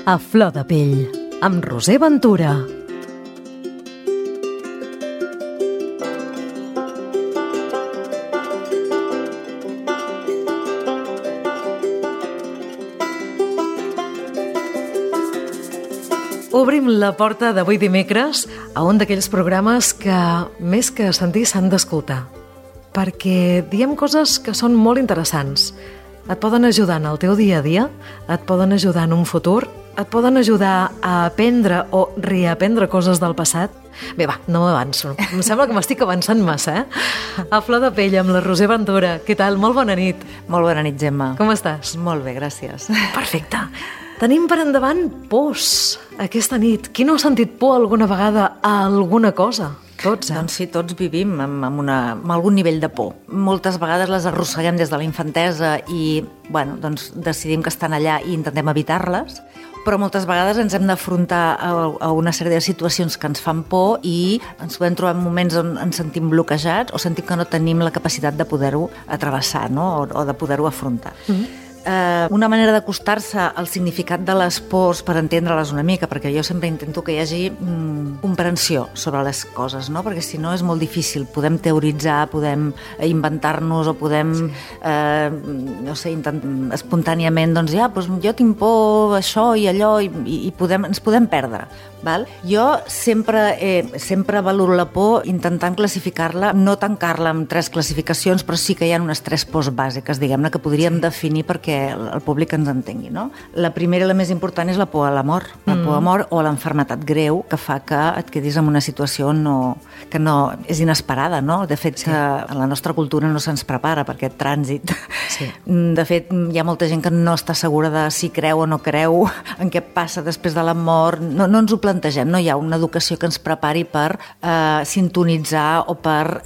A flor de pell, amb Roser Ventura. Obrim la porta d'avui dimecres a un d'aquells programes que, més que sentir, s'han d'escoltar. Perquè diem coses que són molt interessants. Et poden ajudar en el teu dia a dia, et poden ajudar en un futur, et poden ajudar a aprendre o reaprendre coses del passat. Bé, va, no m'avanço. Em sembla que m'estic avançant massa, A flor de pell, amb la Roser Ventura. Què tal? Molt bona nit. Molt bona nit, Gemma. Com estàs? Molt bé, gràcies. Perfecte. Tenim per endavant pors aquesta nit. Qui no ha sentit por alguna vegada a alguna cosa? Tots, Doncs sí, tots vivim amb algun nivell de por. Moltes vegades les arrosseguem des de la infantesa i, doncs decidim que estan allà i intentem evitar-les, però moltes vegades ens hem d'afrontar a una sèrie de situacions que ens fan por i ens podem trobar en moments on ens sentim bloquejats o sentim que no tenim la capacitat de poder-ho atravessar, no? O de poder-ho afrontar. Una manera d'acostar-se al significat de les pors per entendre-les una mica, perquè jo sempre intento que hi hagi comprensió sobre les coses, no? Perquè si no és molt difícil. Podem teoritzar, podem inventar-nos o podem, espontàniament, jo tinc por això i allò i ens podem perdre. Val? Jo sempre valoro la por intentant classificar-la, no tancar-la en 3 classificacions, però sí que hi ha unes 3 pors bàsiques, diguem-ne, que podríem definir perquè el públic ens entengui, no? La primera i la més important és la por a la mort, la por a la mort o a l'enfermetat greu que fa que et quedis en una situació que no és inesperada, no? De fet, que a la nostra cultura no se'ns prepara per aquest trànsit. Sí. De fet, hi ha molta gent que no està segura de si creu o no creu, en què passa després de la mort, no ens ho plantegem, no hi ha una educació que ens prepari per sintonitzar o per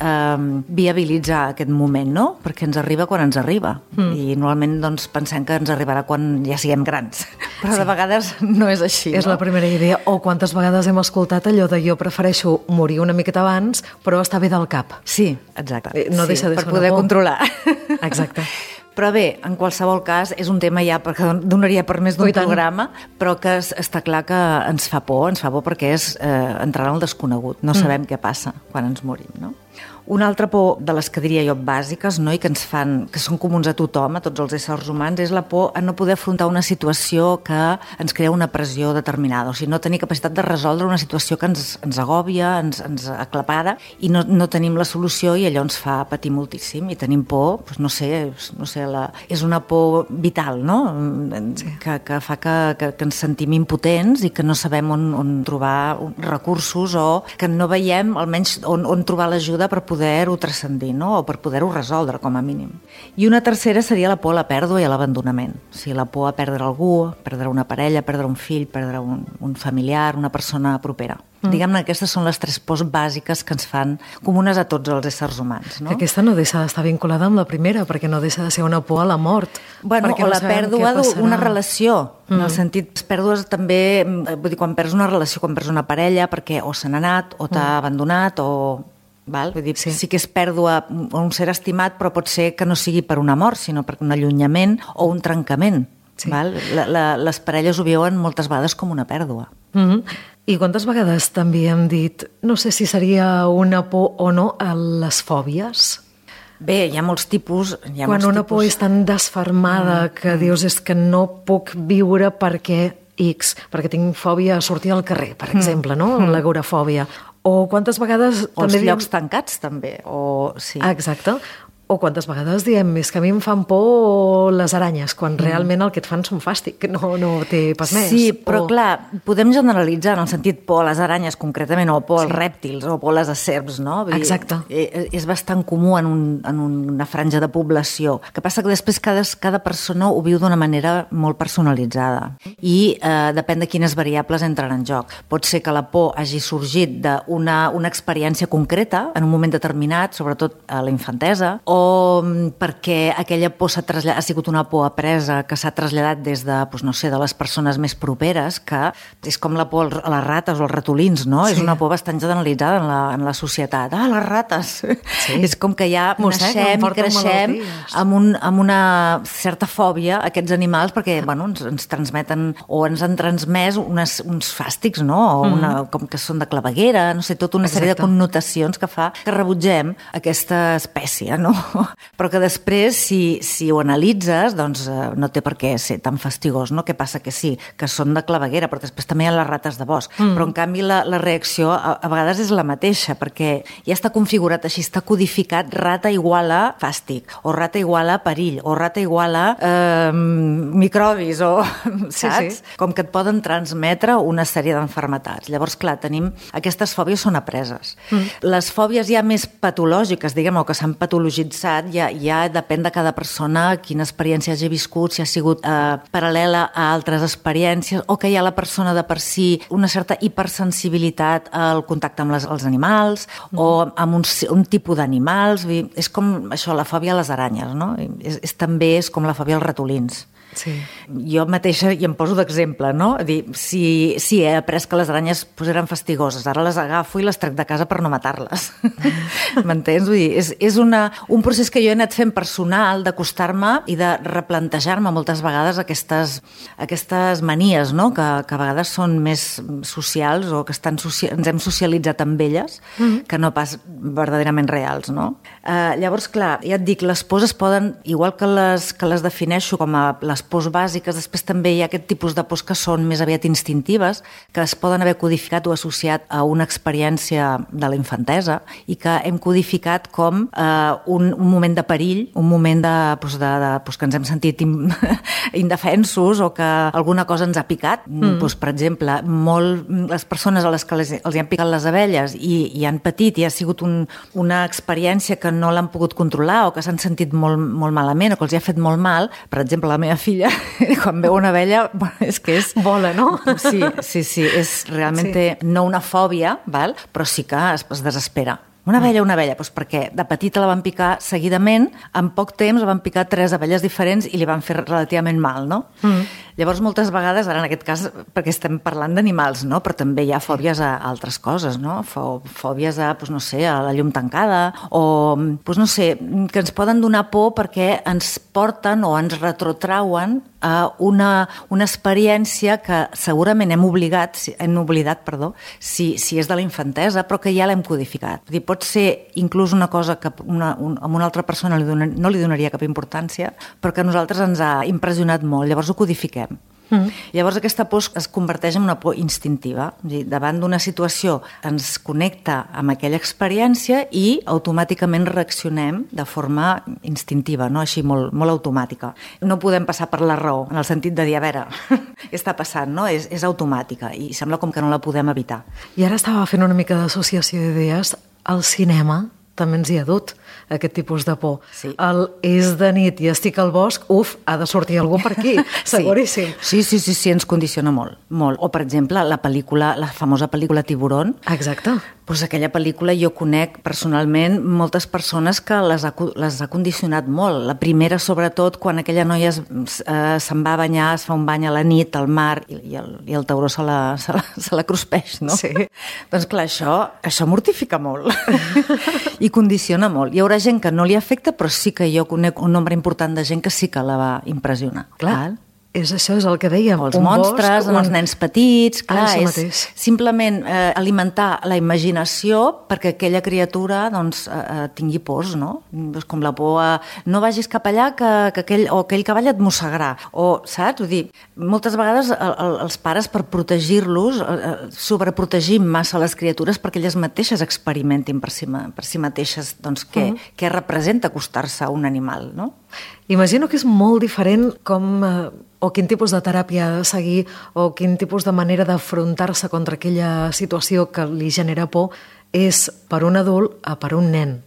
viabilitzar aquest moment, no? Perquè ens arriba quan ens arriba i normalment doncs, pensem que ens arribarà quan ja siguem grans, però de vegades no és així. És la primera idea, o quantes vegades hem escoltat allò de jo prefereixo morir una miqueta abans però estar bé del cap. Sí, exacte. No deixa de ser per poder controlar. Exacte. Però bé, en qualsevol cas, és un tema ja perquè donaria per més d'un programa, però que està clar que ens fa por perquè és entrar en el desconegut. No sabem què passa quan ens morim, no? Una altra por de les que diria jo bàsiques, no? I que són comuns a tothom, a tots els éssers humans, és la por a no poder afrontar una situació que ens crea una pressió determinada, o sigui, no tenir capacitat de resoldre una situació que ens agòbia, ens aclapara i no tenim la solució i allò ens fa patir moltíssim i tenim por, és una por vital, no? Sí. Que fa que ens sentim impotents i que no sabem on trobar recursos o que no veiem almenys on trobar l'ajuda per poder-ho transcendir, no? O per poder-ho resoldre, com a mínim. I una tercera seria la por a la pèrdua i a l'abandonament. O sigui, la por a perdre algú, perdre una parella, perdre un fill, perdre un familiar, una persona propera. Diguem-ne que aquestes són les 3 pors bàsiques que ens fan comunes a tots els éssers humans, no? Que aquesta no deixa d'estar vinculada amb la primera, perquè no deixa de ser una por a la mort. Bueno, o la pèrdua d'una relació. En el sentit, les pèrdues també, vull dir, quan perds una relació, quan perds una parella, perquè o se n'ha anat, o t'ha abandonat, o... Val? Vull dir, sí que és pèrdua un ser estimat, però pot ser que no sigui per una mort, sinó per un allunyament o un trencament. Sí. Val? Les parelles ho veuen moltes vegades com una pèrdua. I quantes vegades també hem dit, no sé si seria una por o no, a les fòbies? Bé, hi ha molts tipus. Quan una por és tan desfermada que dius és que no puc viure perquè perquè tinc fòbia a sortir al carrer, per exemple, no? L'agorafòbia. O quantes vegades... O els llocs tancats, també. Sí. Exacte. O quantes vegades diem, és que a mi em fan por les aranyes, quan realment el que et fan són fàstic, que no té pas més. Sí, però clar, podem generalitzar en el sentit por a les aranyes concretament, o por als rèptils, o por a les serps, no? Exacte. És bastant comú en una franja de població. El que passa que després cada persona ho viu d'una manera molt personalitzada i depèn de quines variables entren en joc. Pot ser que la por hagi sorgit d'una experiència concreta en un moment determinat, sobretot a la infantesa, o perquè aquella por ha sigut una por apresa que s'ha traslladat des de, no sé, de les persones més properes, que és com la por a les rates o als ratolins, no? Sí. És una por bastant generalitzada en la societat. Les rates! Sí. És com que ja naixem i creixem amb una certa fòbia a aquests animals perquè, ens transmeten o ens han transmès uns fàstics, no? O com que són de claveguera, no sé, tota una sèrie de connotacions que fa que rebutgem aquesta espècie, no? Però que després, si ho analitzes, doncs no té per què ser tan fastigós, no? Què passa? Que sí, que són de claveguera, però després també hi ha les rates de bosc. Però, en canvi, la reacció a vegades és la mateixa, perquè ja està configurat així, està codificat rata igual a fàstic, o rata igual a perill, o rata igual a microbis, o saps? Sí. Com que et poden transmetre una sèrie d'enfermetats. Llavors, clar, aquestes fòbies són apreses. Les fòbies ja més patològiques, diguem, o que s'han patologitzat, ja depèn de cada persona quina experiència hagi viscut, si ha sigut paral·lela a altres experiències, o que hi ha la persona de per si una certa hipersensibilitat al contacte amb els animals, o amb un tipus d'animals. És com això, la fòbia a les aranyes, no? També és com la fòbia als ratolins. Sí. Jo mateixa i em poso d'exemple, no? Si he après que les aranyes eren fastigoses, ara les agafo i les trec de casa per no matar-les. M'entens? Vull dir, és un procés que jo he anat fent personal d'acostar-me i de replantejar-me moltes vegades aquestes manies, no? Que a vegades són més socials o que ens hem socialitzat amb elles que no pas verdaderament reals, no? Llavors, clar, ja et dic, les pors es poden, igual que les defineixo com a les pors bàsiques, després també hi ha aquest tipus de pors que són més aviat instintives, que es poden haver codificat o associat a una experiència de la infantesa i que hem codificat com un moment de perill, un moment que ens hem sentit indefensos o que alguna cosa ens ha picat. Per exemple, les persones a les que els han picat les abelles i han patit i ha sigut una experiència que no l'han pogut controlar o que s'han sentit molt, molt malament o que els ha fet molt mal. Per exemple, la meva filla, quan veu una abella, és que és... Vola, no? Sí, és realment no una fòbia, però sí que es desespera. Una abella, doncs perquè de petita la van picar seguidament, en poc temps la van picar 3 abelles diferents i li van fer relativament mal, no? Llavors, moltes vegades, ara en aquest cas, perquè estem parlant d'animals, no? Però també hi ha fòbies a altres coses, no? Fòbies a, a la llum tancada, o, que ens poden donar por perquè ens porten o ens retrotrauen a una experiència que segurament hem oblidat, si és de la infantesa, però que ja l'hem codificat. Pot ser inclús una cosa que a una altra persona no li donaria cap importància, però que a nosaltres ens ha impressionat molt, llavors ho codifiquem. Llavors aquesta por es converteix en una por instintiva. Davant d'una situació ens connecta amb aquella experiència i automàticament reaccionem de forma instintiva, no? Així molt, molt automàtica. No podem passar per la raó, en el sentit de dir, a veure, què està passant, no? És automàtica i sembla com que no la podem evitar. I ara estava fent una mica d'associació d'idees. El cinema també ens hi ha dut aquest tipus de por. Sí. És de nit i estic al bosc, ha de sortir algú per aquí, seguríssim. Sí, ens condiciona molt, molt. O, per exemple, la famosa pel·lícula Tiburón. Exacte. Doncs aquella pel·lícula jo conec personalment moltes persones que les ha condicionat molt. La primera, sobretot, quan aquella noia se'n va a banyar, es fa un bany a la nit al mar i el tauró se la cruspeix, no? Sí. Doncs clar, això mortifica molt i condiciona molt. Hi haurà gent que no li afecta, però sí que jo conec un nombre important de gent que sí que la va impressionar. Clar. Això és el que dèiem. Els monstres, els nens petits, clar, és simplement alimentar la imaginació perquè aquella criatura tingui pors, no? Com la por a no vagis cap allà que aquell cavall et mossegarà, o saps? Vull dir, moltes vegades els pares, per protegir-los, sobreprotegim massa les criatures perquè elles mateixes experimentin per si mateixes què representa acostar-se a un animal, no? Imagino que és molt diferent o quin tipus de teràpia ha de seguir o quin tipus de manera d'afrontar-se contra aquella situació que li genera por és per un adult a per un nen.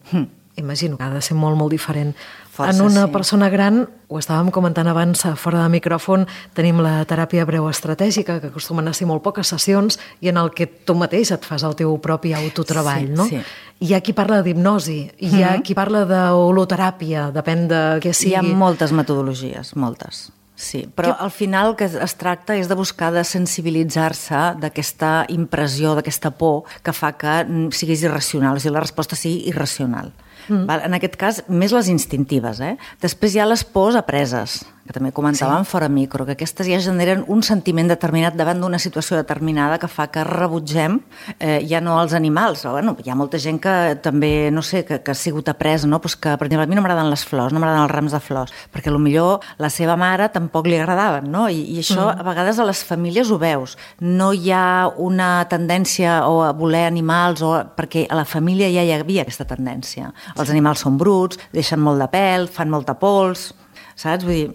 imagino que ha de ser molt, molt diferent. Força, en una sí. persona gran, ho estàvem comentant abans fora de micròfon, tenim la teràpia breu estratègica, que acostumen a ser molt poques sessions, i en el que tu mateix et fas el teu propi autotreball, Sí, no? sí. Hi ha qui parla d'hipnosi, hi ha qui parla d'holoteràpia, depèn de què sigui. Hi ha moltes metodologies, moltes. Sí, però al final el que es tracta és de buscar de sensibilitzar-se d'aquesta impressió, d'aquesta por que fa que siguis irracional, o sigui, la resposta sigui irracional. En aquest cas, més les instintives. Després hi ha les pors apreses, que també comentàvem fora micro, que aquestes ja generen un sentiment determinat davant d'una situació determinada que fa que rebutgem ja no els animals. Bueno, hi ha molta gent que també, no sé, que ha sigut apresa, no? Pues que, per exemple, a mi no m'agraden les flors, no m'agraden els rams de flors, perquè potser la seva mare tampoc li agradaven, no? I això a vegades a les famílies ho veus. No hi ha una tendència a voler animals, perquè a la família ja hi havia aquesta tendència. Els animals són bruts, deixen molt de pèl, fan molta pols, saps? Vull dir,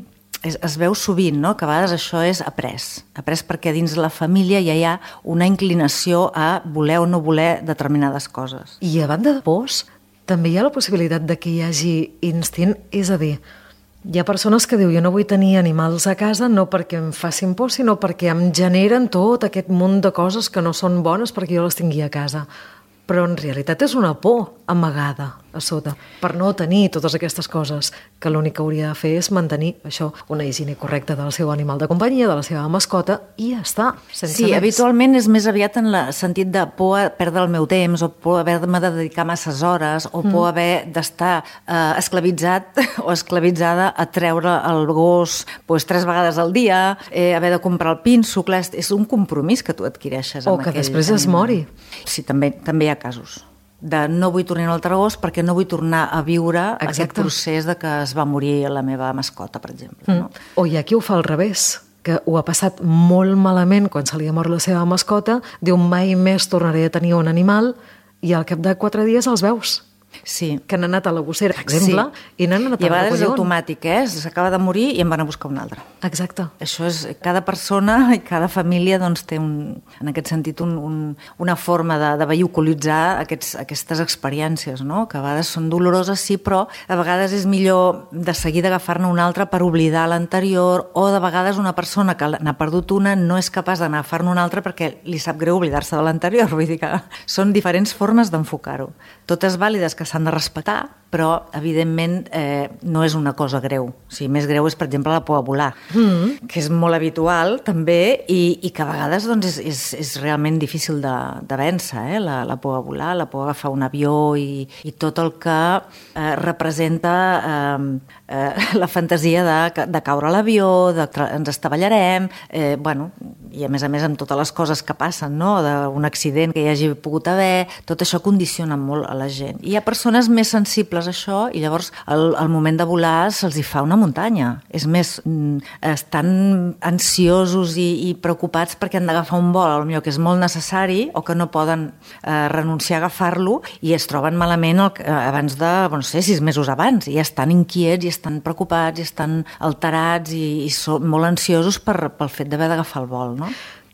es veu sovint, no?, que a vegades això és après perquè dins de la família ja hi ha una inclinació a voler o no voler determinades coses. I a banda de pors, també hi ha la possibilitat de que hi hagi instint, és a dir, hi ha persones que diuen jo no vull tenir animals a casa no perquè em facin por, sinó perquè em generen tot aquest munt de coses que no són bones perquè jo les tingui a casa. Però en realitat és una por amagada a sota, per no tenir totes aquestes coses, que l'únic que hauria de fer és mantenir això, una higiene correcta del seu animal de companyia, de la seva mascota, i ja està, sense Sí, més. habitualment és més aviat en el sentit de por a perdre el meu temps, o por a haver-me de dedicar masses hores, o por a haver d'estar esclavitzat o esclavitzada a treure el gos 3 vegades al dia, haver de comprar el pinso, clar, és un compromís que tu adquireixes O amb que aquell després es animal. mori. Sí, també hi ha casos de no vull tornar al gos perquè no vull tornar a viure aquest procés de que es va morir la meva mascota, per exemple. No? O hi ha qui ho fa al revés, que ho ha passat molt malament quan se li ha mort la seva mascota, diu mai més tornaré a tenir un animal, i al cap de 4 dies els veus. Sí. Que han anat a la gossera, per exemple, i n'han anat I a a vegades és recollir un. automàtic, s'acaba de morir i en van a buscar un altre. Exacte. Això és, cada persona i cada família doncs, té en aquest sentit una forma de vehiculitzar aquestes experiències, no? Que a vegades són doloroses, sí, però a vegades és millor de seguida agafar-ne una altra per oblidar l'anterior, o de vegades una persona que n'ha perdut una no és capaç d'agafar-ne una altra perquè li sap greu oblidar-se de l'anterior. Vull dir que són diferents formes d'enfocar-ho. Totes vàlides que s'han de respectar, però evidentment no és una cosa greu. O sigui, més greu és, per exemple, la por a volar, que és molt habitual també i que a vegades doncs, és realment difícil de vèncer, la por a volar, la por a agafar un avió i tot el que representa la fantasia de caure a l'avió, ens estavellarem, i a més amb totes les coses que passen, no? D'un accident que hi hagi pogut haver, tot això condiciona molt a la gent. I hi ha persones més sensibles a això i llavors al moment de volar se'ls hi fa una muntanya. És més, estan ansiosos i preocupats perquè han d'agafar un vol, potser que és molt necessari o que no poden renunciar a agafar-lo i es troben malament abans de, no sé, 6 mesos abans, i estan inquiets i estan preocupats i estan alterats i són molt ansiosos pel fet d'haver d'agafar el vol, no?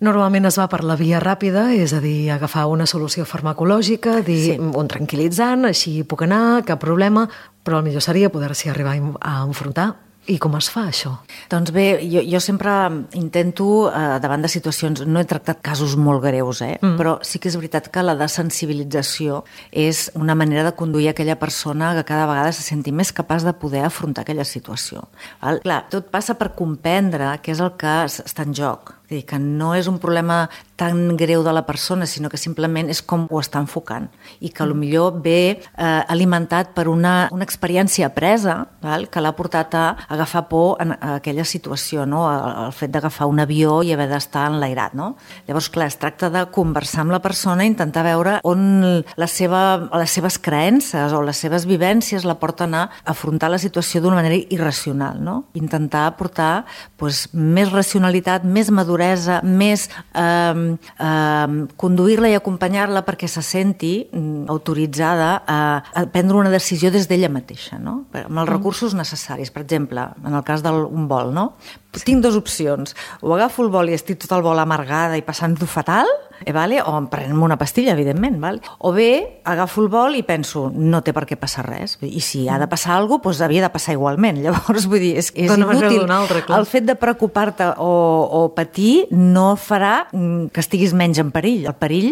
Normalment es va per la via ràpida, és a dir, agafar una solució farmacològica, dir un tranquil·litzant, així puc anar, cap problema, però el millor seria poder-s'hi arribar a enfrontar. I com es fa, això? Doncs bé, jo sempre intento, davant de situacions, no he tractat casos molt greus, però sí que és veritat que la desensibilització és una manera de conduir aquella persona que cada vegada se senti més capaç de poder afrontar aquella situació. Clar, tot passa per comprendre què és el que està en joc. És a dir, que no és un problema tan greu de la persona, sinó que simplement és com ho està enfocant i que potser ve alimentat per una experiència apresa que l'ha portat a agafar por en aquella situació, no? El fet d'agafar un avió i haver d'estar enlairat, no? Llavors, clar, es tracta de conversar amb la persona i intentar veure on les seves creences o les seves vivències la porten a afrontar la situació d'una manera irracional, no? Intentar aportar més racionalitat, més maduresa, més conduir-la i acompanyar-la perquè se senti autoritzada a prendre una decisió des d'ella mateixa, no? Amb els recursos necessaris, per exemple, en el cas d'un vol, no? tinc dues opcions. O agafo el bol i estic tot el vol amargada i passant-ho fatal, vale? O em prenem una pastilla, evidentment. Vale? O bé, agafo el bol i penso, no té per què passar res. I si ha de passar alguna cosa, doncs havia de passar igualment. Llavors, vull dir, és inútil. El fet de preocupar-te o patir no farà que estiguis menys en perill. El perill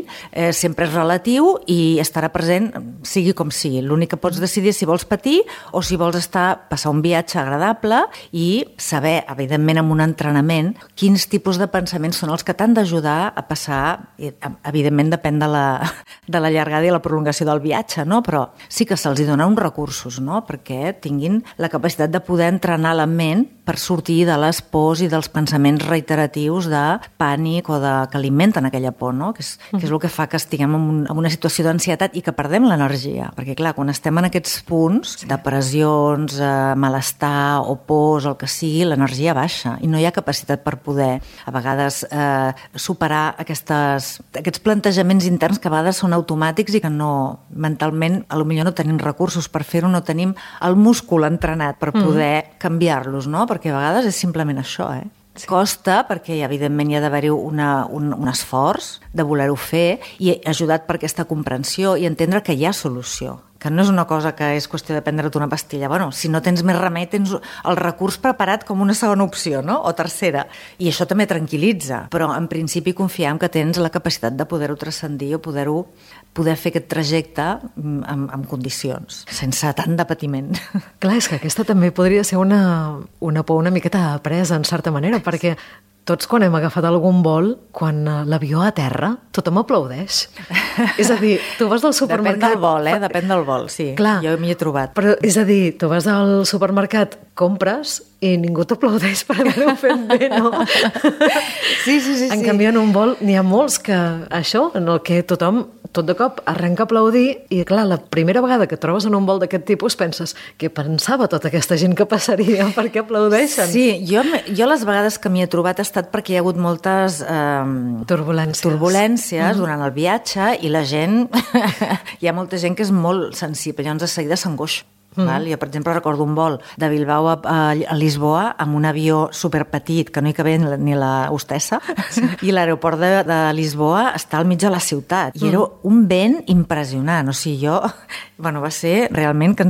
sempre és relatiu i estarà present, sigui com sigui. L'únic que pots decidir és si vols patir o si vols passar un viatge agradable i saber, evidentment, amb un entrenament, quins tipus de pensaments són els que t'han d'ajudar a passar. Evidentment, depèn de la llargada i la prolongació del viatge, no? Però sí que se'ls dona uns recursos, no? Perquè tinguin la capacitat de poder entrenar la ment per sortir de les pors i dels pensaments reiteratius de pànic o que alimenten aquella por, no? Que és el que fa que estiguem en una situació d'ansietat i que perdem l'energia. Perquè, clar, quan estem en aquests punts, depressions, malestar o pors, el que sigui, l'energia baixa i no hi ha capacitat per poder, a vegades, superar aquests plantejaments interns que a vegades són automàtics i que mentalment, potser no tenim recursos per fer-ho, no tenim el múscul entrenat per poder canviar-los, no? Perquè a vegades és simplement això, Sí. Costa perquè, evidentment, hi ha d'haver-hi un esforç de voler-ho fer i ajudat per aquesta comprensió i entendre que hi ha solució, que no és una cosa que és qüestió de prendre't una pastilla. Bueno, si no tens més remei, tens el recurs preparat com una segona opció, no? O tercera. I això també tranquil·litza, però en principi confiam que tens la capacitat de poder-ho transcendir o poder fer aquest trajecte en condicions, sense tant de patiment. Clar, és que aquesta també podria ser una por una miqueta apresa, en certa manera, perquè tots quan hem agafat algun vol, quan l'avió aterra, tothom aplaudeix. És a dir, tu vas del supermercat... Depèn del vol, Depèn del vol, sí. Clar, jo m'hi he trobat. Però, és a dir, tu vas al supermercat, compres i ningú t'aplaudeix per haver-ho fet bé, no? Sí. En canvi, en un vol n'hi ha molts que això, en el que tothom tot de cop arrenca a aplaudir i, clar, la primera vegada que et trobes en un vol d'aquest tipus penses què pensava tota aquesta gent que passaria, per què aplaudeixen? Sí, jo les vegades que m'hi he trobat ha estat perquè hi ha hagut moltes turbulències durant el viatge i la gent, hi ha molta gent que és molt sensible, llavors de seguida s'angoixa. Val? Jo, per exemple, recordo un vol de Bilbao a Lisboa amb un avió superpetit, que no hi cabia ni la hostessa, i l'aeroport de Lisboa està al mig de la ciutat. I era un vent impressionant. O sigui, va ser realment que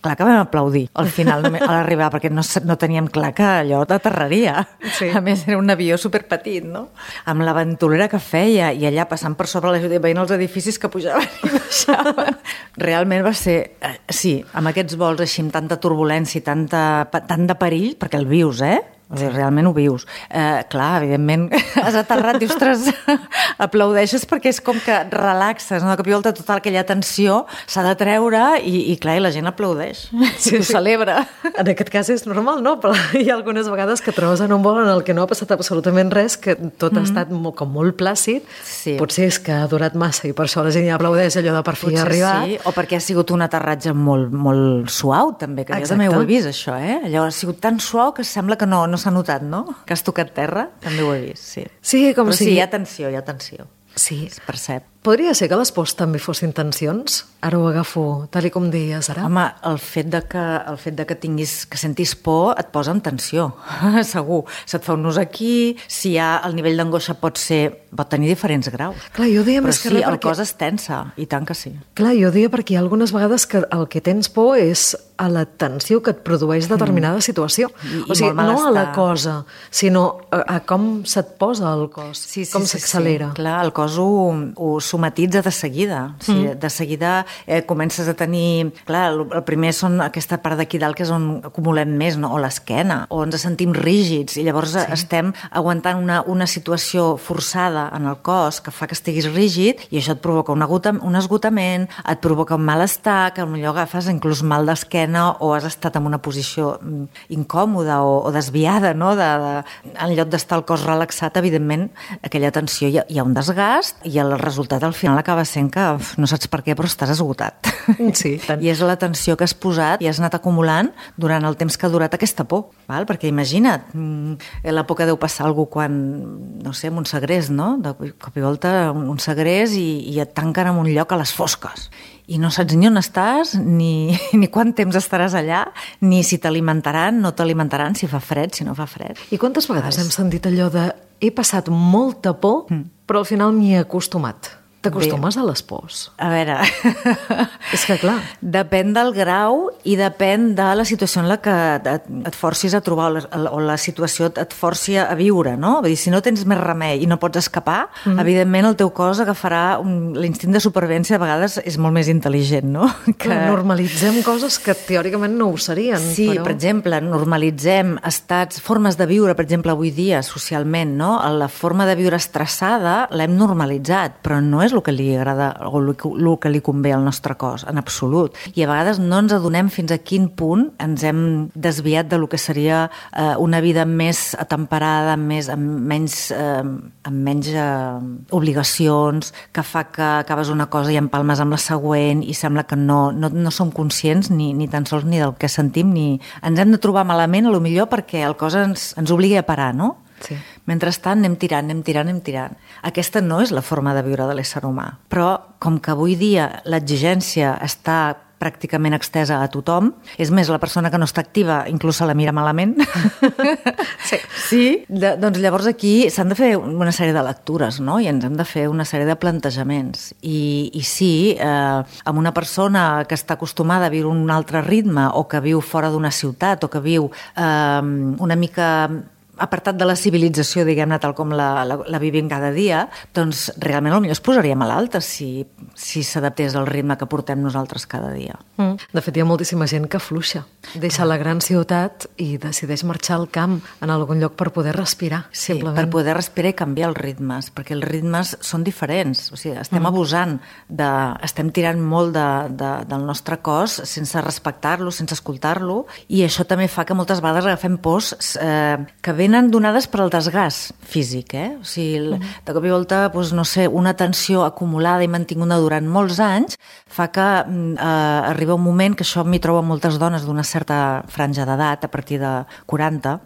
clar que vam aplaudir al final, a l'arribar, perquè no teníem clar que allò t'aterraria. Sí. A més, era un avió superpetit, no? Amb la ventolera que feia, i allà passant per sobre la ciutat, veient els edificis que pujaven i baixaven. Realment va ser, sí, amb aquests vols així, amb tanta turbulència i tant de perill, perquè el vius, O sigui, realment ho vius. Clar, evidentment, has aterrat i, ostres, aplaudeixes perquè és com que relaxes, no? De cop i volta tota aquella tensió s'ha de treure i clar, la gent aplaudeix. Sí, ho celebra. En aquest cas és normal, no? Però hi ha algunes vegades que trobes en un vol en el que no ha passat absolutament res, que tot ha estat molt plàcid. Sí. Potser és que ha durat massa i per això la gent ja aplaudeix allò de per fi arribat. Sí, o perquè ha sigut un aterratge molt suau, també, que jo també ho he vist, això, Allò ha sigut tan suau que sembla que no s'ha notat, no? Que has tocat terra, també ho he vist, sí. Sí, com però sigui. Sí, hi ha tensió. Sí. Es percep. Podria ser que les pors també fossin tensions? Ara ho agafo tal com deies ara. Home, el fet de que sentis por et posa en tensió, segur. Se't fa un nus aquí, si hi ha el nivell d'angoixa pot tenir diferents graus. Clar, jo deia més que res perquè... el cos es tensa, i tant que sí. Clar, jo deia perquè hi ha algunes vegades que el que tens por és a la tensió que et produeix determinada situació. O sigui, no a la cosa, sinó a com se't posa el cos, com s'accelera. Clar, el cos ho somatitza de seguida. O sigui, de seguida comences a tenir... Clar, el primer són aquesta part d'aquí dalt que és on acumulem més, no? O l'esquena, o ens sentim rígids i llavors estem aguantant una situació forçada en el cos que fa que estiguis rígid i això et provoca un esgotament, et provoca un malestar, que potser agafes inclús mal d'esquena o has estat en una posició incòmoda o desviada, no? En lloc d'estar el cos relaxat, evidentment, aquella tensió hi ha un desgast i el resultat l'estat al final acaba sent que no saps per què, però estàs esgotat. Sí, tant. I és la tensió que has posat i has anat acumulant durant el temps que ha durat aquesta por, val? Perquè imagina't, la por que deu passar algú quan, no sé, en un segrest, no? De cop i volta un segrest i et tanquen en un lloc a les fosques. I no saps ni on estàs, ni quant temps estaràs allà, ni si t'alimentaran, no t'alimentaran, si fa fred, si no fa fred. I quantes vegades hem sentit allò de he passat molta por, però al final m'hi he acostumat? T'acostumes a les pors? A veure... És que, clar... Depèn del grau i depèn de la situació en la que et forcis a trobar o la situació et forci a viure, no? Vull dir, si no tens més remei i no pots escapar, evidentment el teu cos agafarà... L'instint de supervivència a vegades és molt més intel·ligent, no? Que... Normalitzem coses que teòricament no ho serien. Sí, però... per exemple, normalitzem formes de viure, per exemple, avui dia, socialment, no? La forma de viure estressada l'hem normalitzat, però no és el que li agrada o el que li convé al nostre cos, en absolut. I a vegades no ens adonem fins a quin punt ens hem desviat de lo que seria una vida més atemperada, amb menys obligacions, que fa que acabes una cosa i empalmes amb la següent i sembla que no som conscients ni tan sols ni del que sentim, ni ens hem de trobar malament, a lo millor perquè el cos ens obligui a parar, no? Sí. Mentrestant anem tirant. Aquesta no és la forma de viure de l'ésser humà. Però com que avui dia l'exigència està pràcticament extesa a tothom, és més, la persona que no està activa inclús se la mira malament. Sí. Doncs llavors aquí s'han de fer una sèrie de lectures, no? I ens hem de fer una sèrie de plantejaments. I sí, amb una persona que està acostumada a viure un altre ritme o que viu fora d'una ciutat o que viu una mica apartat de la civilització, diguem-ne, tal com la vivim cada dia, doncs realment potser es posaria malalta si s'adaptés al ritme que portem nosaltres cada dia. De fet, hi ha moltíssima gent que fluixa, deixa la gran ciutat i decideix marxar al camp en algun lloc per poder respirar. Sí, simplement. Per poder respirar i canviar els ritmes, perquè els ritmes són diferents. O sigui, estem abusant, estem tirant molt del nostre cos sense respectar-lo, sense escoltar-lo, i això també fa que moltes vegades agafem pors que venen donades per al desgast físic, O sigui, de cop i volta, doncs, no sé, una tensió acumulada i mantinguda durant molts anys fa que arriba un moment, que això m'hi trobo moltes dones d'una certa franja d'edat, a partir de 40,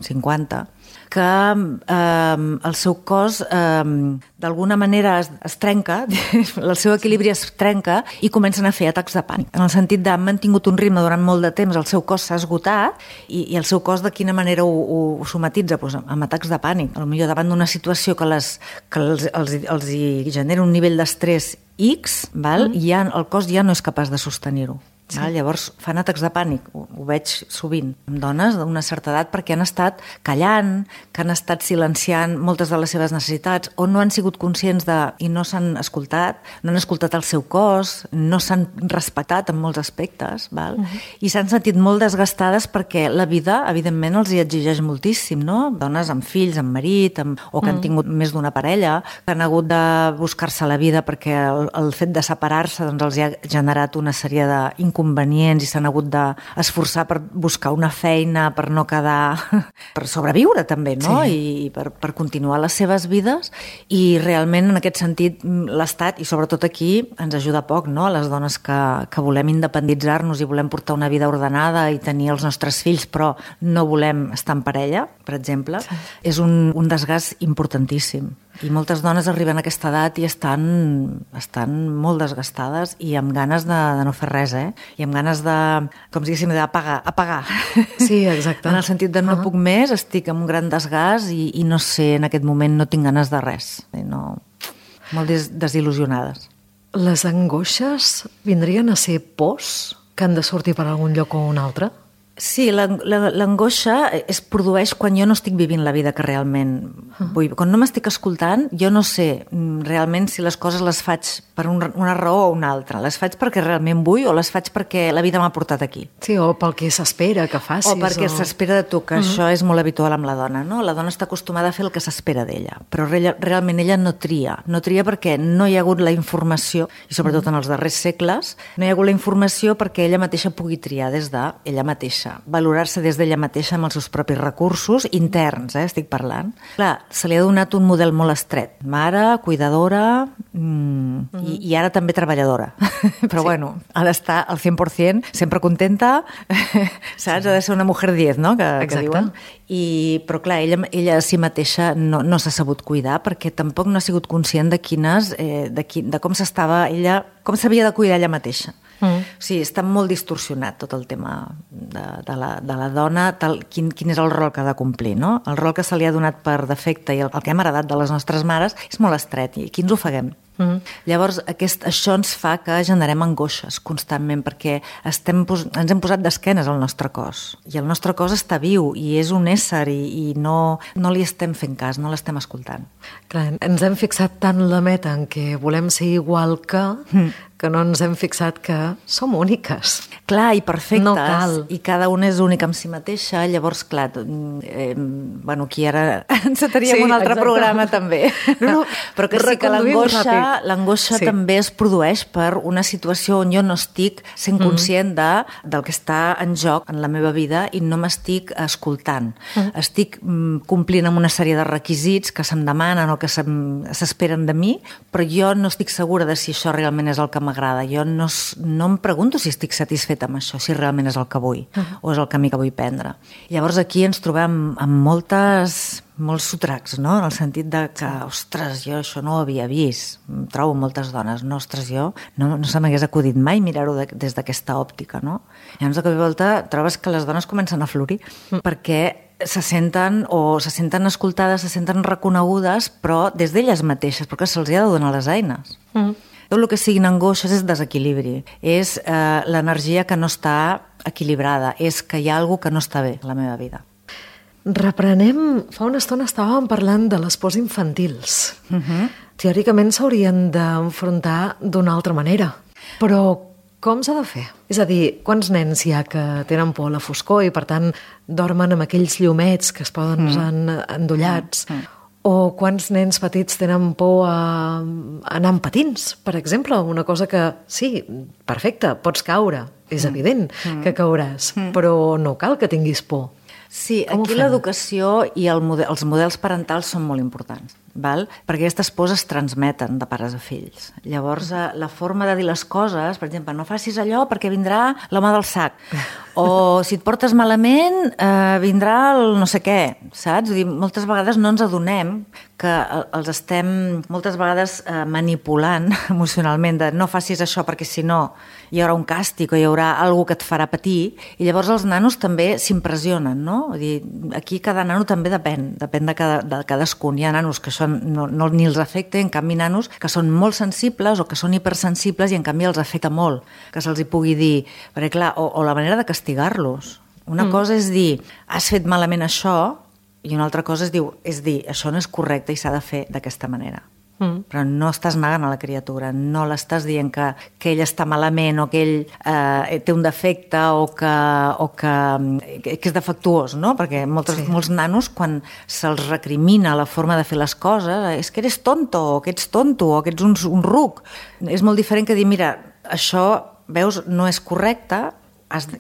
50, que el seu cos d'alguna manera es trenca, el seu equilibri es trenca i comencen a fer atacs de pànic. En el sentit de han mantingut un ritme durant molt de temps, el seu cos s'ha esgotat i el seu cos de quina manera ho somatitza? Doncs amb atacs de pànic. Potser davant d'una situació que els hi genera un nivell d'estrès X, el cos ja no és capaç de sostenir-ho. Sí. Llavors fan atacs de pànic, ho veig sovint amb dones d'una certa edat perquè han estat callant, que han estat silenciant moltes de les seves necessitats o no han sigut conscients i no s'han escoltat, no han escoltat el seu cos, no s'han respectat en molts aspectes, i s'han sentit molt desgastades perquè la vida, evidentment, els hi exigeix moltíssim, no? Dones amb fills, amb marit, o que han tingut més d'una parella, que han hagut de buscar-se la vida perquè el fet de separar-se doncs, els hi ha generat una sèrie d'inconvenients i s'han hagut d'esforçar per buscar una feina, per no quedar... per sobreviure també, no? Sí. I per continuar les seves vides. I realment, en aquest sentit, l'Estat, i sobretot aquí, ens ajuda poc, no? Les dones que volem independitzar-nos i volem portar una vida ordenada i tenir els nostres fills, però no volem estar en parella, per exemple, és un desgast importantíssim. I moltes dones arriben a aquesta edat i estan molt desgastades i amb ganes de no fer res, I amb ganes de, com si diguéssim, d'apagar. Sí, exacte. En el sentit de no puc més, estic amb un gran desgast i no sé, en aquest moment no tinc ganes de res. Molt desil·lusionades. Les angoixes vindrien a ser pors que han de sortir per algun lloc o un altre? Sí, l'angoixa es produeix quan jo no estic vivint la vida que realment vull. Quan no m'estic escoltant, jo no sé realment si les coses les faig per una raó o una altra. Les faig perquè realment vull o les faig perquè la vida m'ha portat aquí. Sí, o pel que s'espera que facis. O perquè s'espera de tu, que això és molt habitual amb la dona, no? La dona està acostumada a fer el que s'espera d'ella, però realment ella no tria. No tria perquè no hi ha hagut la informació, i sobretot en els darrers segles, no hi ha hagut la informació perquè ella mateixa pugui triar des d'ella mateixa. mateixa, valorar-se des d'ella mateixa amb els seus propis recursos interns, estic parlant. Clar, se li ha donat un model molt estret. Mare, cuidadora i ara també treballadora. Però bueno, ha d'estar al 100%, sempre contenta, saps? Ha de ser una mujer 10, no? Que diuen. Però clar, ella a si mateixa no s'ha sabut cuidar perquè tampoc no ha sigut conscient de com s'estava ella, com s'havia de cuidar ella mateixa. O sigui, està molt distorsionat tot el tema de la dona, quin és el rol que ha de complir, no? El rol que se li ha donat per defecte i el que hem heredat de les nostres mares és molt estret i aquí ens ofeguem. Llavors, això ens fa que generem angoixes constantment perquè ens hem posat d'esquenes al nostre cos i el nostre cos està viu i és un ésser i no li estem fent cas, no l'estem escoltant. Clar, ens hem fixat tant la meta en què volem ser igual que no ens hem fixat que som úniques. Clar, i perfectes. No cal. I cada una és única amb si mateixa. Llavors, clar, aquí ara enceteríem un altre programa també. Però que sí que l'angoixa també es produeix per una situació on jo no estic sent conscient del que està en joc en la meva vida i no m'estic escoltant. Estic complint amb una sèrie de requisits que se'm demanen o que s'esperen de mi, però jo no estic segura de si això realment és el que m'agrada. Jo no em pregunto si estic satisfeta amb això, si realment és el que vull o és el camí que vull prendre. Llavors aquí ens trobem amb molts sotracs, no? En el sentit de que, ostres, jo això no ho havia vist. Trobo moltes dones, no, ostres, jo no se m'hagués acudit mai mirar-ho des d'aquesta òptica, no? Llavors, de cop i volta, trobes que les dones comencen a florir perquè se senten escoltades, se senten reconegudes, però des d'elles mateixes, perquè se'ls ha de donar les eines. Tot el que siguin angoixes és desequilibri, és l'energia que no està equilibrada, és que hi ha alguna que no està bé a la meva vida. Reprenem, fa una estona estàvem parlant de les pors infantils. Teòricament s'haurien d'enfrontar d'una altra manera, però com s'ha de fer? És a dir, quants nens hi ha que tenen por a la foscor i per tant dormen amb aquells llumets que es poden usar endollats? O quants nens petits tenen por a anar amb patins, per exemple? Una cosa que, sí, perfecte, pots caure, és evident que cauràs, però no cal que tinguis por. Sí, aquí l'educació i els models parentals són molt importants, perquè aquestes pors es transmeten de pares a fills. Llavors, la forma de dir les coses, per exemple, no facis allò perquè vindrà l'home del sac, o si et portes malament vindrà el no sé què, saps? Vull dir, moltes vegades no ens adonem que els estem moltes vegades manipulant emocionalment de no facis això perquè si no hi haurà un càstig o hi haurà alguna que et farà patir, i llavors els nanos també s'impressionen, no? Vull dir, aquí cada nano també depèn de cadascun. Hi ha nanos que això no ni els afecta, en canvi nanos que són molt sensibles o que són hipersensibles i en canvi els afecta molt que se'ls hi pugui dir, perquè clar, o la manera de castigar-los. Una cosa és dir, has fet malament això, i una altra cosa és dir, això no és correcte i s'ha de fer d'aquesta manera. Però no estàs negant a la criatura, no l'estàs dient que ell està malament o que ell té un defecte o que és defectuós, no? Perquè molts nanos, quan se'ls recrimina la forma de fer les coses, és que eres tonto, o que ets tonto, o que ets un ruc. És molt diferent que dir, mira, això, veus, no és correcte,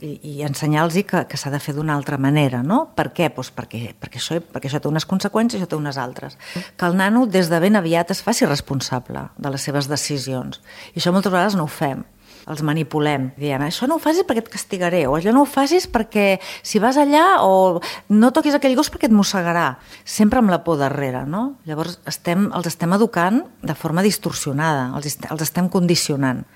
i ensenyar-los que s'ha de fer d'una altra manera, no? Per què? Doncs perquè això té unes conseqüències i això té unes altres. Que el nano des de ben aviat es faci responsable de les seves decisions. I això moltes vegades no ho fem. Els manipulem, dient, això no ho facis perquè et castigaré, o això no ho facis perquè si vas allà, o no toquis aquell gos perquè et mossegarà. Sempre amb la por darrere, no? Llavors els estem educant de forma distorsionada, els estem condicionant.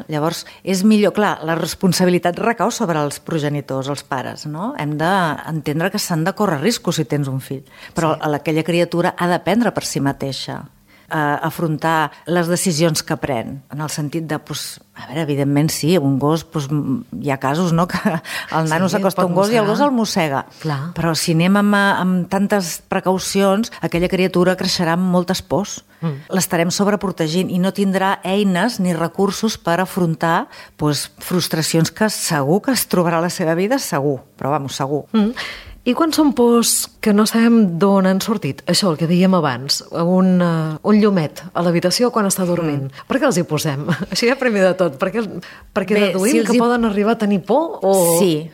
Llavors és millor, clar, la responsabilitat recau sobre els progenitors, els pares, no? Hem d'entendre que s'han de córrer riscos si tens un fill, però aquella criatura ha d'aprendre per si mateixa afrontar les decisions que pren, en el sentit de, a veure, evidentment sí, un gos, hi ha casos, no?, que el nano s'acosta a un gos i el gos el mossega. Però si anem amb tantes precaucions, aquella criatura creixerà amb moltes pors. L'estarem sobreprotegint i no tindrà eines ni recursos per afrontar frustracions que segur que es trobarà a la seva vida, segur, però segur. I quan són pors que no sabem d'on han sortit. Això, el que dèiem abans, un llumet a l'habitació quan està dormint. Per què els hi posem? Així ja primer de tot. Perquè deduïm que poden arribar a tenir por? Sí,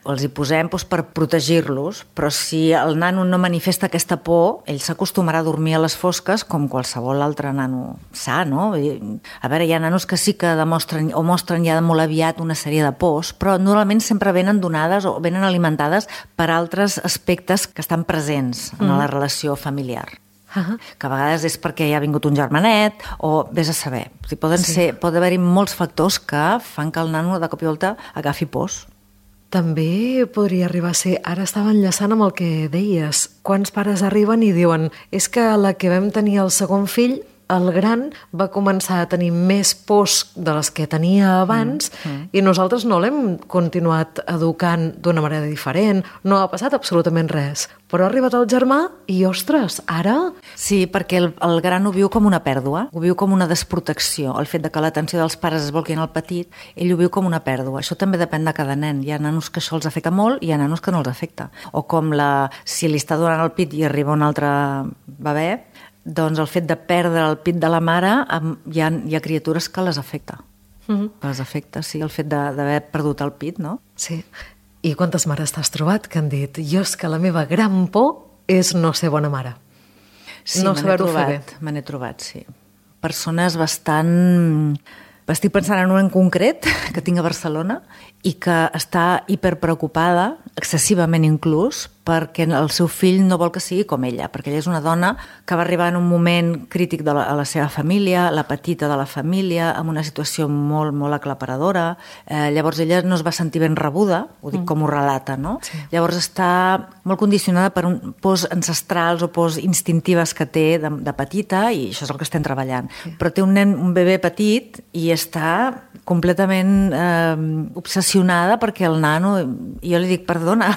els hi posem per protegir-los, però si el nano no manifesta aquesta por, ell s'acostumarà a dormir a les fosques com qualsevol altre nano sa, no? A veure, hi ha nanos que sí que demostren o mostren ja molt aviat una sèrie de pors, però normalment sempre venen donades o venen alimentades per altres aspectes que estan presents en la relació familiar. Que a vegades és perquè hi ha vingut un germanet o vés a saber. Pot haver-hi molts factors que fan que el nano de cop i volta agafi pors. També podria arribar a ser, ara estava enllaçant amb el que deies, quants pares arriben i diuen és que la que vam tenir el segon fill, el gran, va començar a tenir més pors de les que tenia abans i nosaltres no l'hem continuat educant d'una manera diferent, no ha passat absolutament res. Però ha arribat el germà i, ostres, ara... Sí, perquè el gran ho viu com una pèrdua, ho viu com una desprotecció. El fet de que l'atenció dels pares es volqui en el petit, ell ho viu com una pèrdua. Això també depèn de cada nen. Hi ha nanos que això els afecta molt i hi ha nanos que no els afecta. O com si li està donant el pit i arriba un altre bebè, doncs el fet de perdre el pit de la mare hi ha criatures que les afecta. Les afecta, sí, el fet d'haver perdut el pit, no? Sí. I quantes mares t'has trobat que han dit jo és que la meva gran por és no ser bona mare? Sí, no me n'he trobat, sí. Persones bastant... Estic pensant en una en concret que tinc a Barcelona i que està hiperpreocupada, excessivament inclús, perquè el seu fill no vol que sigui com ella, perquè ella és una dona que va arribar en un moment crític a la seva família, la petita de la família, amb una situació molt, molt aclaparadora. Llavors ella no es va sentir ben rebuda, ho dic com ho relata, no? Sí. Llavors està molt condicionada per pors ancestrals o pors instintives que té de petita i això és el que estem treballant. Sí. Però té un bebè petit i està completament obsessionada perquè el nano... Jo li dic, perdona,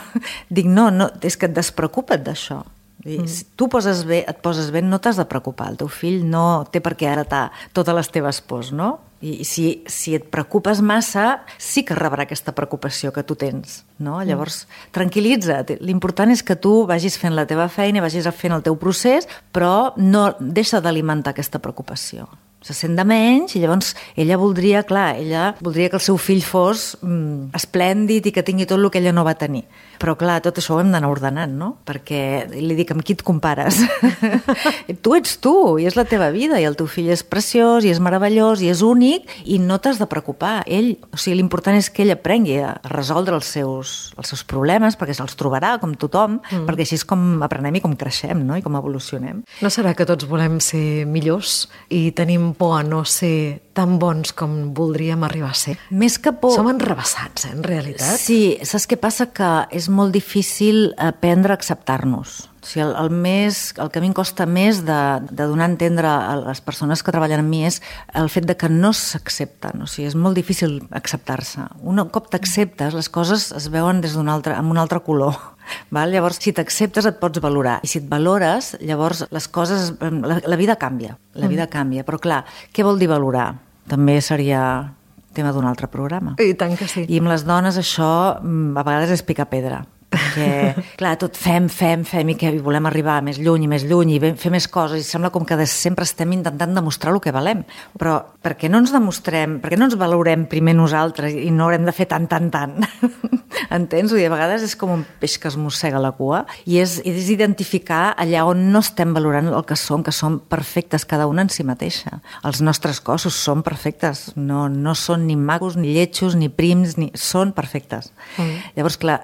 dic, no, és que et despreocupa't d'això. Si tu et poses bé, no t'has de preocupar. El teu fill no té per què heretar totes les teves pors, no? I si et preocupes massa, sí que rebrà aquesta preocupació que tu tens, no? Llavors, tranquil·litza't. L'important és que tu vagis fent la teva feina, vagis fent el teu procés, però no deixa d'alimentar aquesta preocupació. Se sent de menys i llavors ella voldria que el seu fill fos esplèndid i que tingui tot el que ella no va tenir. Però clar, tot això ho hem d'anar ordenant, no? Perquè li dic, amb qui et compares? Tu ets tu i és la teva vida i el teu fill és preciós i és meravellós i és únic i no t'has de preocupar. L'important és que ell aprengui a resoldre els seus problemes perquè se'ls trobarà com tothom, perquè així és com aprenem i com creixem, no? I com evolucionem. No serà que tots volem ser millors i tenim por a no ser tan bons com voldríem arribar a ser? Més que por... Som enrevessats, en realitat. Sí, saps què passa? Que és molt difícil aprendre a acceptar-nos. O sigui, el que a mi em costa més de donar a entendre a les persones que treballen amb mi és el fet de que no s'accepten. O sigui, és molt difícil acceptar-se. Un cop t'acceptes, les coses es veuen amb un altre color. Llavors, si t'acceptes et pots valorar. I si et valores, llavors les coses... La vida canvia. La vida canvia. Però clar, què vol dir valorar? També seria tema d'un altre programa. I tant que sí. I amb les dones això a vegades és picar pedra. Perquè, clar, tot fem i que volem arribar més lluny i fer més coses i sembla com que sempre estem intentant demostrar el que valem. Però per què no ens demostrem, per què no ens valorem primer nosaltres i no haurem de fer tant? Entens? A vegades és com un peix que es mossega la cua i és identificar allà on no estem valorant el que som perfectes cada una en si mateixa. Els nostres cossos són perfectes, no són ni macos, ni lletjos, ni prims, són perfectes. Llavors, clar,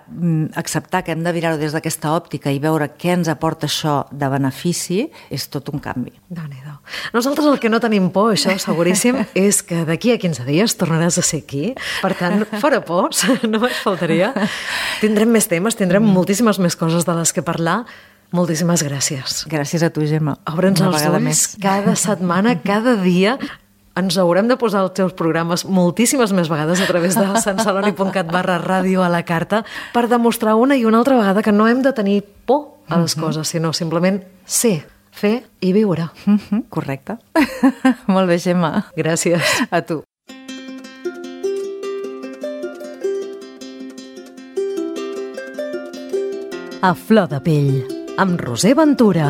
acceptar que hem de mirar-ho des d'aquesta òptica i veure què ens aporta això de benefici és tot un canvi. Déu-n'hi-do. Nosaltres el que no tenim por, això seguríssim, és que d'aquí a 15 dies tornaràs a ser aquí. Per tant, fora pors, no me'n faltaria. Tindrem més temes, tindrem moltíssimes més coses de les que parlar. Moltíssimes gràcies. Gràcies a tu, Gemma. Obre'ns els ulls cada setmana, cada dia. Ens haurem de posar els teus programes moltíssimes més vegades a través de santceloni.cat/ràdio a la carta per demostrar una i una altra vegada que no hem de tenir por a les coses, sinó simplement ser, fer i viure. Correcte. Molt bé, Gemma. Gràcies. A tu. A flor de pell, amb Roser Ventura.